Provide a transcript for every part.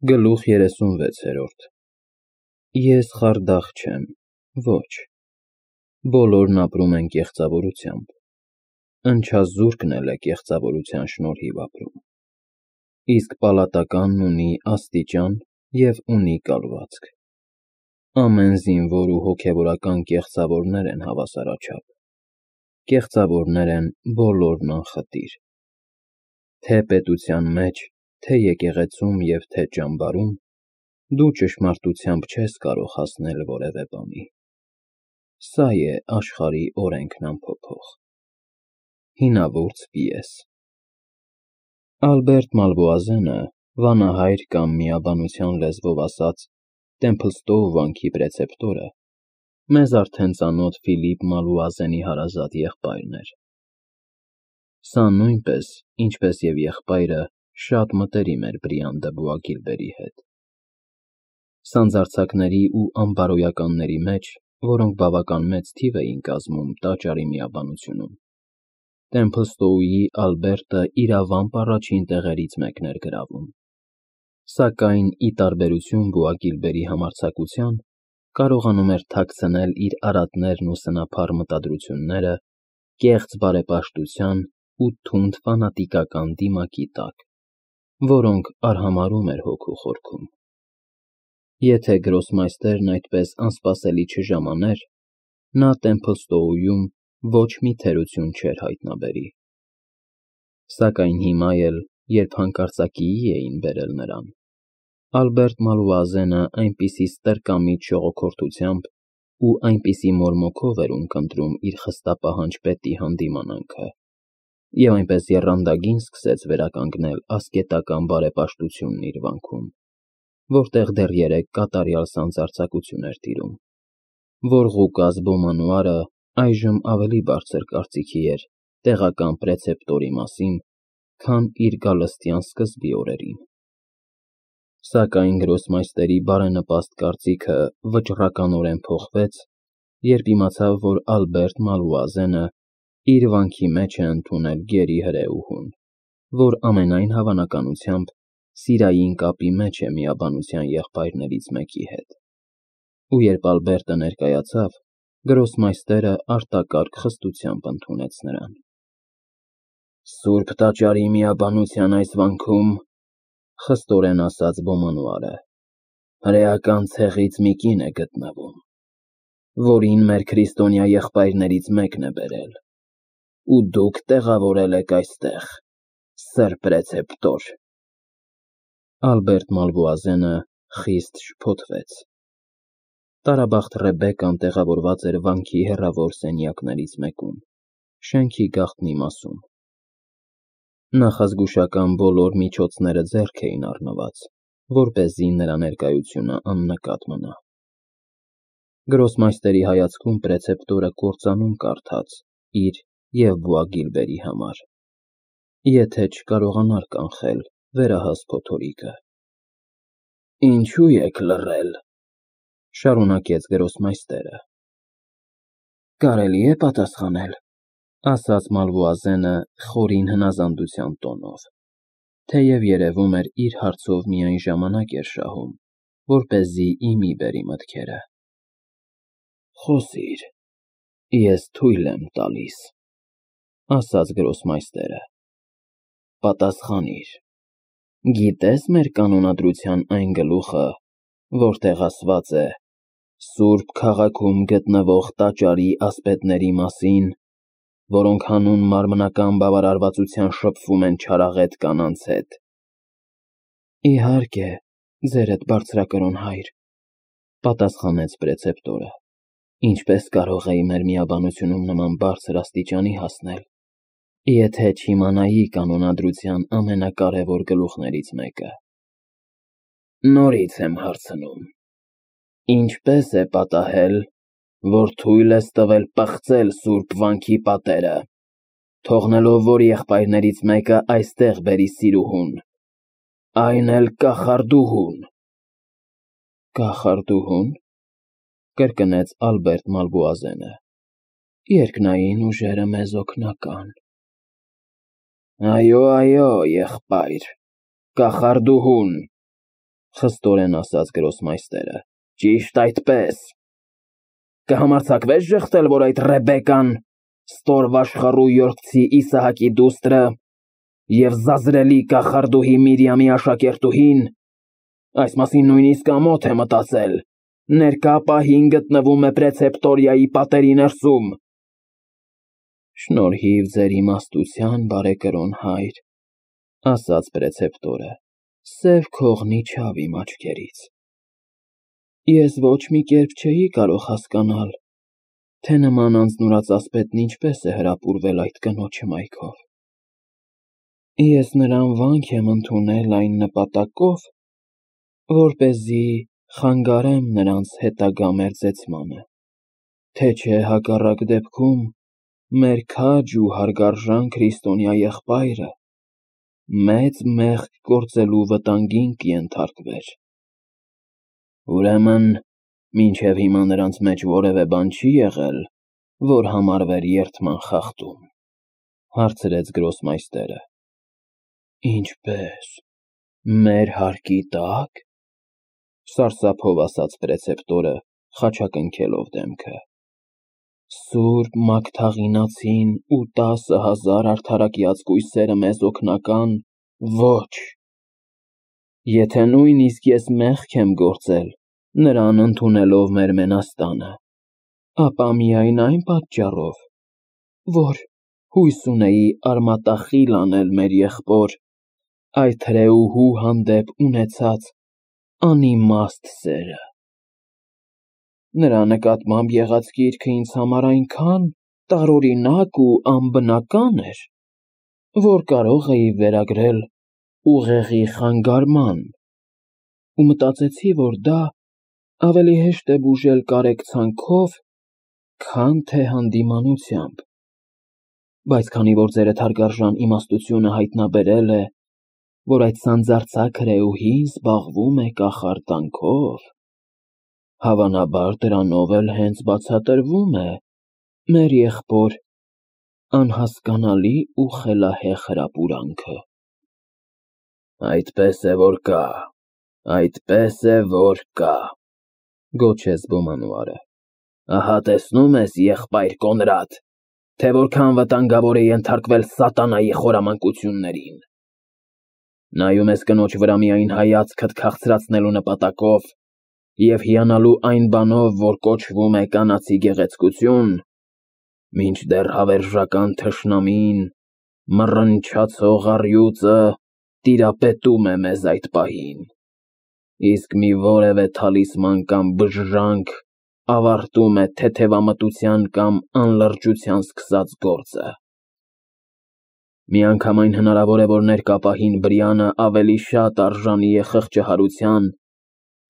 Գլուխ 36 Ես խարդախ չեմ, ոչ, բոլորն ապրում են կեղծավորությամբ, ընչազուրկն էլ է կեղծավորության շնորհիվ ապրում, իսկ պալատականն ունի աստիճան և ունի կալվածք, ամեն զինվոր ու հոգևորական կեղծավորներ են հավասարաչափ, կեղծավորներ են բոլորն անխտիր, թե պետության մեջ, թե եկեղեցում և թե ճամբարում, դու ճշմարտությամբ չես կարող հասնել որևէ բանի, սա է աշխարհի օրենքն անփոփոխ։ Հինավուրց պիես Ալբերտ Մալվոազենը, վանահայր կամ միաբանության լեզվով ասած, Տեմփլստոու վանքի պրեցեպտորը, մեզ արդեն ծանոթ Ֆիլիպ Մալվոազենի հարազատ եղբայրն էր։ Սա նույնպես, ինչպես և եղբայրը, շատ մտերիմ էր Բրիան դը Բուագիլբերի հետ։ Սանձարձակների ու անբարոյականների մեջ, որոնք բավական մեծ թիվ էին կազմում տաճարի միաբանությունում, Տեմփլստոուի Ալբերտը իրավամբ առաջին տեղերից մեկն էր գրավում, սակայն, ի տարբերություն Բուագիլբերի համարձակության, կարողանում էր թաքցնել իր արատներն ու սնափառ մտադրությունները կեղծ բարեպաշտության ու թունդ ֆանատիկական դիմակի տակ, որոնք արհամարհում էր հոգու խորքում։ Եթե գրոսմայստերն այդպես անսպասելի չժամաներ, նա Տեմփլստոուում ոչ մի թերություն չէր հայտնաբերի։ Սակայն հիմա էլ, երբ հանկարծակիի էին բերել նրան, Ալբերտ Մալվոազենը այնպիսի ստրկամիտ ժողոքորթությամբ ու այնպիսի մորմոքով էր ունկնդրում իր խստապահանջ պետի հանդիմանանքը, և այնպես եռանդագին սկսեց վերականգնել ասկետական բարեպաշտությունն իր վանքում, որտեղ դեռ երեկ կատարյալ սանձարձակություն էր տիրում, որ Ղուկաս Բոմանուարը այժմ ավելի բարձր կարծիքի էր տեղական պրեցեպտորի մասին, քան իր գալստյան սկզբի օրերին։ Սակայն գրոսմայստերի բարենպաստ կարծիքը վճռականորեն փոխվեց, երբ իմացավ, որ Ալբերտ Մալվոազենը իր վանքի մեջ է ընդունել գերի հրեուհուն, որ ամենայն հավանականությամբ սիրային կապի մեջ է միաբանության եղբայրներից մեկի հետ, ու երբ Ալբերտը ներկայացավ, գրոսմայստերը արտակարգ խստությամբ ընդունեց նրան։ Սուրբ տաճարի միաբանության այս վանքում, խստորեն ասաց Բոմանուարը, հրեական ցեղից մի կին է գտնվում, որին մեր քրիստոնյա եղբայրներից մեկն է բերել, ու դուք տեղավորել եք այստեղ, սըր պրեցեպտոր։ Ալբերտ Մալվոազենը խիստ շփոթվեց։ Տարաբախտ Ռեբեկկան տեղավորված էր վանքի հեռավոր սենյակներից մեկում, շենքի գաղտնի մասում։ Նախազգուշական բոլոր միջոցները ձեռք էին առնված, որպեսզի նրա ներկայությունը աննկատ մնա։ Գրոսմայստերի հայացքում պրեցեպտորը կործանում կարդաց իր և Բուագիլբերի համար, եթե չկարողանար կանխել վերահաս փոթորիկը։ Ինչու եք լռել, շարունակեց գրոսմայստերը։ Կարելի է պատասխանել, ասաց Մալվոազենը խորին հնազանդության տոնով, թեև երևում էր իր հարցով միայն ժամանակ էր շահում, որպեսզի իմի բերի մտքերը։ Խոսիր, ես թույլ եմ տալիս, ասաց գրոսմայստերը։ Պատասխանիր, գիտե՞ս մեր կանոնադրության այն գլուխը, որտեղ ասված է Սուրբ քաղաքում գտնվող տաճարի ասպետների մասին, որոնք հանուն մարմնական բավարարվածության շփվում են չարաղետ կանանց հետ։ Իհարկե, ձերդ բարձրակրոն հայր, պատասխանեց պրեցեպտորը, ինչպես կարող էի մեր միաբանությունում նման բարձր աստիճանի հասնել, եթե չիմանայի կանոնադրության ամենակարևոր գլուխներից մեկը։ Նորից եմ հարցնում, ինչպես է պատահել, որ թույլ ես տվել պղծել սուրբ վանքի պատերը, թողնելով, որ եղբայրներից մեկը այստեղ բերի սիրուհուն, այն էլ կախարդուհուն։ Կախարդուհո՞ւն, կրկնեց Ալբերտ Մալվոազենը, երկնային ուժերը մեզ օգնական։ Այո, այո, եղբայր, կախարդուհուն, Խստորեն ասաց գրոսմայստերը։ Ճիշտ այդպես։ Կհամարձակվես ժխտել, որ այդ Ռեբեկան, ստոր վաշխառու յորքցի Իսահակի դուստրը և զազրելի կախարդուհի Միրիամի աշակերտուհին, այս մասին նույնիսկ ամոթ է մտածել, ներկա պահին գտնվում է Պրեցեպտորիայի պատերի ներսում։ Շնորհիվ ձեր իմաստության, բարեկրոն հայր, ասաց Պրեցեպտորը, սև քողն իջավ իմ աչքերից։ Ես ոչ մի կերպ չէի կարող հասկանալ, թե նման անձնուրաց ասպետն ինչպես է հրապուրվել այդ կնոջ հմայքով։ Ես նրան վանք եմ ընդունել այն նպատակով, որպեսզի խանգարեմ նրանց հետագա մերձեցմանը, թե չէ հակառակ դեպքում մեր քաջ ու հարգարժան քրիստոնյա եղբայրը մեծ մեղք գործելու վտանգին կենթարկվեր։ Ուրեմն, մինչև հիմա նրանց մեջ որևէ բան չի եղել, որ համարվեր երդման խախտում, հարցրեց գրոսմայստերը։ Ինչպես, մեր հարկի տա՞կ, սարսափով ասաց Պրեցեպտորը, խաչակնքելով դեմքը։ Սուրբ Մագդաղինացին ու 10,000 արդարակյաց կույսերը մեզ օգնական, ոչ։ Եթե նույնիսկ ես մեղք եմ գործել, նրան ընդունելով մեր մենաստանը, ապա միայն այն պատճառով, որ հույս ունեի արմատախիլ անել մեր եղբոր, այդ հրեուհու հանդեպ ունեցած անիմաստ սերը։ Նրա նկատմամբ եղած կիրքը ինձ համար այնքան տարօրինակ ու անբնական էր, որ կարող էի վերագրել ուղեղի խանգարման, ու մտածեցի, որ դա ավելի հեշտ է բուժել կարեկցանքով, քան թե հանդիմանությամբ, բայց քանի որ ձերդ հարգարժան իմաստությունը հայտնաբերել է, որ այդ սանձարձակ հրեուհին զբաղվում է կախարդանքով, հավանաբար դրանով էլ հենց բացատրվում է մեր եղբոր անհասկանալի ու խելահեղ հրապուրանքը։ Այդպես է, որ կա, գոչեց բոմանուարը։ Ահա տեսնում ես, եղբայր Կոնրադ, թե որքան վտանգավոր է ենթարկվել սատանայի խորամանկություններին։ Նայում ես կնոջ վրա միայն հայացքդ քաղցրացնելու նպատակով և հիանալու այն բանով, որ կոչվում է կանացի գեղեցկություն, մինչդեռ հավերժական թշնամին, մռնչացող առյուծը տիրապետում է մեզ այդ պահին, իսկ մի որևէ թալիսման կամ բժժանք ավարտում է թեթևամտության կամ անլրջության սկսած գործը։ Միանգամայն հնարավոր է, որ ներկա պահին Բրիանը ավելի շատ արժանի է խղճահարության,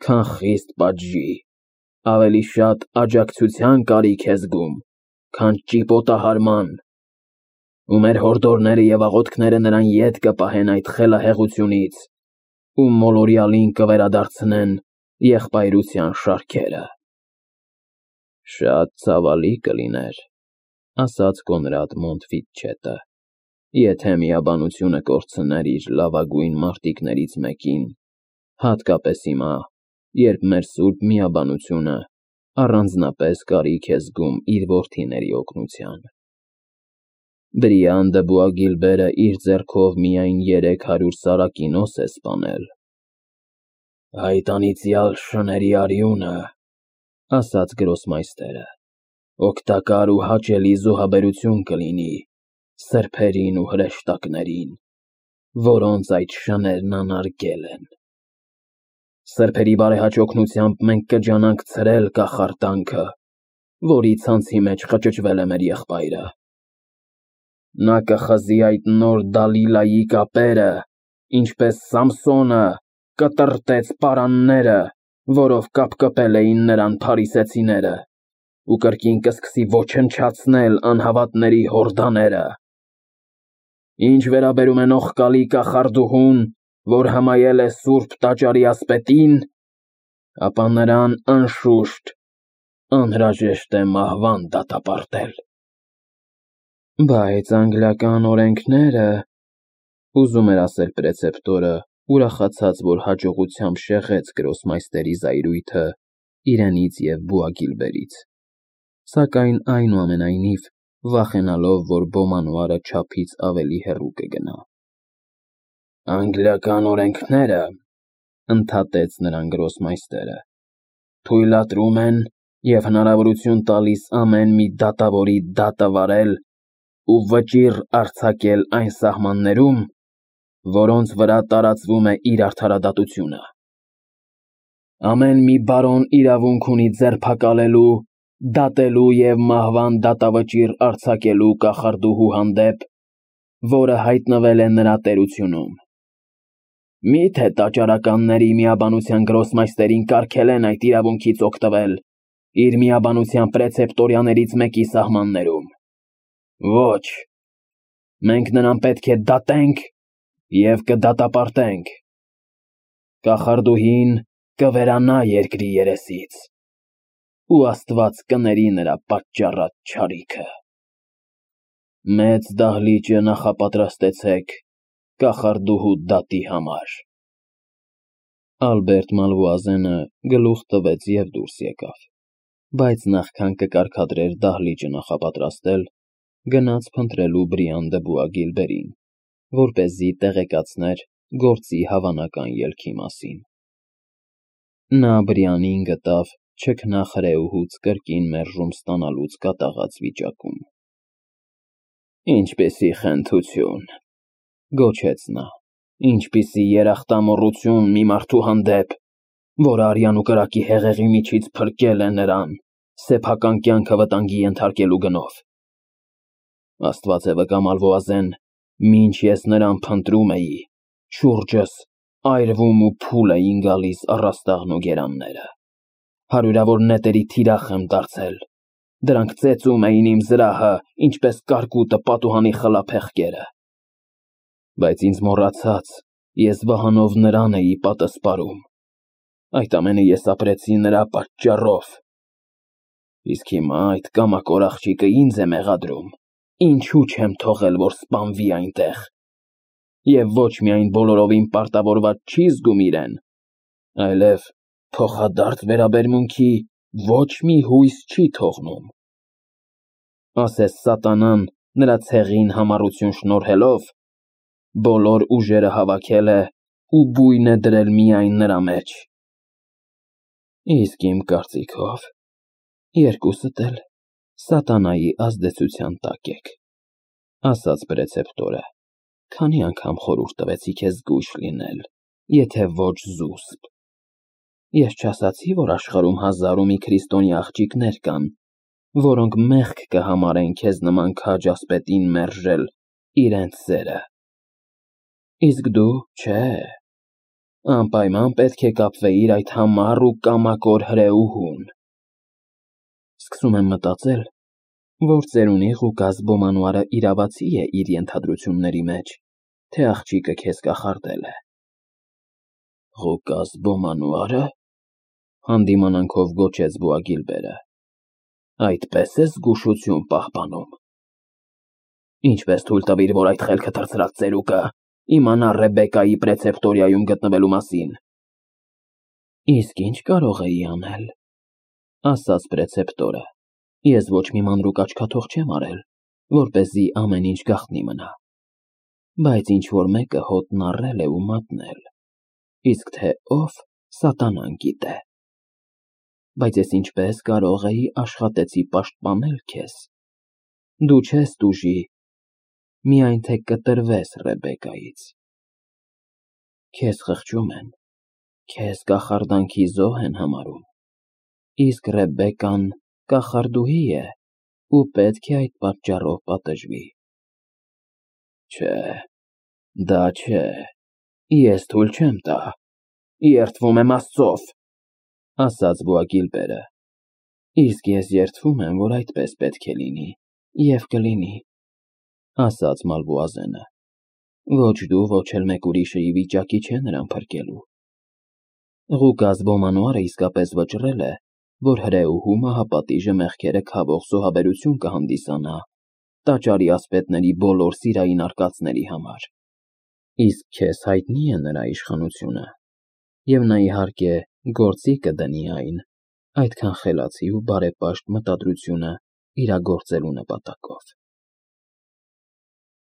քան խիստ պատժի, ավելի շատ աջակցության կարիք է զգում, քան ճիպոտահարման, ու մեր հորդորները և աղոթքները նրան ետ կպահեն այդ խելահեղությունից ու մոլորյալին կվերադարձնեն եղբայրության շարքերը։ Շատ ցավալի կլիներ, ասաց Կոնրադ Մոնտֆիտչետը, եթե միաբանությունը կորցներ իր լավագույն մարտիկներից մեկին, հատկապես հիմա, երբ մեր սուրբ միաբանությունը առանձնապես կարիք է զգում իր որդիների օգնության։ Բրիան դը Բուագիլբերը իր ձեռքով միայն 300 սարակինոս է սպանել։ Այդ անիծյալ շների արյունը, ասաց գրոսմայստերը, օգտակար ու հաճելի զոհաբերություն կլինի սրբերին ու հրեշտակներին, որոնց այդ շներն անարգել են։ Սրբերի բարեհաճ օգնությամբ մենք կջանանք ցրել կախարդանքը, որի ցանցի մեջ խճճվել է մեր եղբայրը։ Նա կխզի այդ նոր Դալիլայի կապերը, ինչպես Սամսոնը կտրտեց պարանները, որով կապկպել էին նրան փարիսեցիները, ու կրկին կսկսի ոչնչացնել անհավատների հորդաները։ Ինչ վերաբերում է նողկալի կախարդուհուն, որ հմայել է սուրբ տաճարի ասպետին, ապա նրան անշուշտ անհրաժեշտ է մահվան դատապարտել։ Բայց անգլիական օրենքները, ուզում էր ասել Պրեցեպտորը ուրախացած, որ հաջողությամբ շեղեց գրոսմայստերի զայրույթը իրենից և Բուագիլբերից, սակայն այնուամենայնիվ վախենալով, որ Բոմանուարը չափից ավելի հեռու կգնա։ «Անգլիական օրենքները, ֊ ընդհատեց նրան գրոսմայստերը, ֊ թույլատրում են և հնարավորություն տալիս ամեն մի դատավորի դատը վարել ու վճիռ արձակել այն սահմաններում, որոնց վրա տարածվում է իր արդարադատությունը։ Ամեն մի բարոն իրավունք ունի ձերբակալելու, դատելու և մահվան դատավճիռ արձակելու կախարդուհու հանդեպ, որը հայտնվել է նրա տերությունում։ Մի՞թե տաճարականների միաբանության գրոսմայստերին կարգել են այդ իրավունքից օգտվել իր միաբանության պրեցեպտորիաներից մեկի սահմաններում։ Ոչ, մենք նրան պետք է դատենք և կդատապարտենք։ Կախարդուհին կվերանա երկրի երեսից, ու Աստված կների նրա պատճառած չարիքը։ Մեծ դահլիճը նախապատրաստեցեք կախարդուհու դատի համար»։ Ալբերտ Մալվուազենը գլուխ տվեց և դուրս եկավ, բայց նախքան կկարգադրեր դահլիճը նախապատրաստել, գնաց փնտրելու Բրիան դը Բուագիլբերին, որպեսզի տեղեկացներ գործի հավանական ելքի մասին։ Նա Բրիանին գտավ չքնախրեուհուց կրկին մերժում ստանալուց կատաղած վիճակում։ «Ինչպիսի խենթություն, ֊ գոչեց նա, ֊ ինչպիսի երախտամոռություն մի մարդու հանդեպ, որը արյան ու կրակի հեղեղի միջից փրկել է նրան սեփական կյանքը վտանգի ենթարկելու գնով։ Աստված է վկա, Մալվուազեն, մինչ ես նրան փնտրում էի, շուրջս այրվում ու փուլ էին գալիս առաստաղն ու գերանները։ Հարյուրավոր նետերի թիրախ եմ դարձել, դրանք ծեծում էին իմ զրահը, ինչպես կարկուտը պատուհանի խլափեղկերը։ Բայց ինձ մոռացած, ես վահանով նրան էի պատասպարում։ Այդ ամենը ես ապրեցի նրա պատճառով։ Իսկ հիմա այդ կամակոր աղջիկը ինձ է մեղադրում, ինչու չեմ թողել, որ սպանվի այնտեղ։ Եվ ոչ միայն բոլորովին պարտավորված չի զգում իրեն, այլև փոխադարձ վերաբերմունքի ոչ մի հույս չի թողնում։ Ասես սատանան նրա ցեղին համառություն շնորհելով, բոլոր ուժերը հավաքել է ու բույն է դրել միայն նրա մեջ։ Իսկ իմ կարծիքով, երկուսդ էլ սատանայի ազդեցության տակ եք, ֊ ասաց պրեցեպտորը, ֊ քանի անգամ խորհուրդ տվեցի քեզ զգույշ լինել, եթե ոչ զուսպ։ Ես չասացի, որ աշխարհում հազար ու մի քրիստոնյա աղջիկներ կան, որոնք մեղք կհամարեն քեզ նման քաջ ասպետին մերժել իրենց սերը։ Իսկ դու, չէ, անպայման պետք է կապվեիր այդ համառ ու կամակոր հրեուհուն։ Սկսում եմ մտածել, որ ծերունի Ղուկաս Բոմանուարը իրավացի է իր ենթադրությունների մեջ, թե աղջիկը քեզ կախարդել է։ Ղուկաս Բոմանուարը, ֊ հանդիմանանքով գոչեց Բուագիլբերը, ֊ այդպես է զգուշություն պահպանում։ Ինչպես թույլ տվիր, որ այդ խելքը թռցրած ծերուկը իմանա Ռեբեկայի պրեցեպտորիայում գտնվելու մասին։ Իսկ ինչ կարող էի անել, ֊ ասաց պրեցեպտորը, ֊ ես ոչ մի մանրուք աչքաթող չեմ արել, որպեսզի ամեն ինչ գաղտնի մնա, բայց ինչ-որ մեկը հոտն առել է ու մատնել, իսկ թե ով, սատանան գիտե։ Բայց ես ինչպես կարող էի աշխատեցի պաշտպանել քեզ։ Դու չես տուժի, միայն թե կտրվես Ռեբեկայից։ Քեզ խղճում են, քեզ կախարդանքի զոհ են համարում, իսկ Ռեբեկան կախարդուհի է ու պետք է այդ պատճառով պատժվի։ Չէ, դա չէ, ես թույլ չեմ տա, երդվում եմ Աստծով, ֊ ասաց Բուագիլբերը։ Իսկ ես երդվում եմ, որ այդպես պետք է լինի և կլինի, ֊ ասաց Մալվուազենը։ Ոչ դու, ոչ էլ մեկ ուրիշը ի վիճակի չէ նրան փրկելու։ Ղուկաս Բոմանուարը իսկապես վճռել է, որ հրեուհու մահապատիժը մեղքերը քավող զոհաբերություն կհանդիսանա տաճարի ասպետների բոլոր սիրային արկածների համար։ Իսկ քեզ հայտնի է նրա իշխանությունը, և նա, իհարկե, գործի կդնի այն այդքան խելացի ու բարեպաշտ մտադրությունը իրագործելու նպատակով։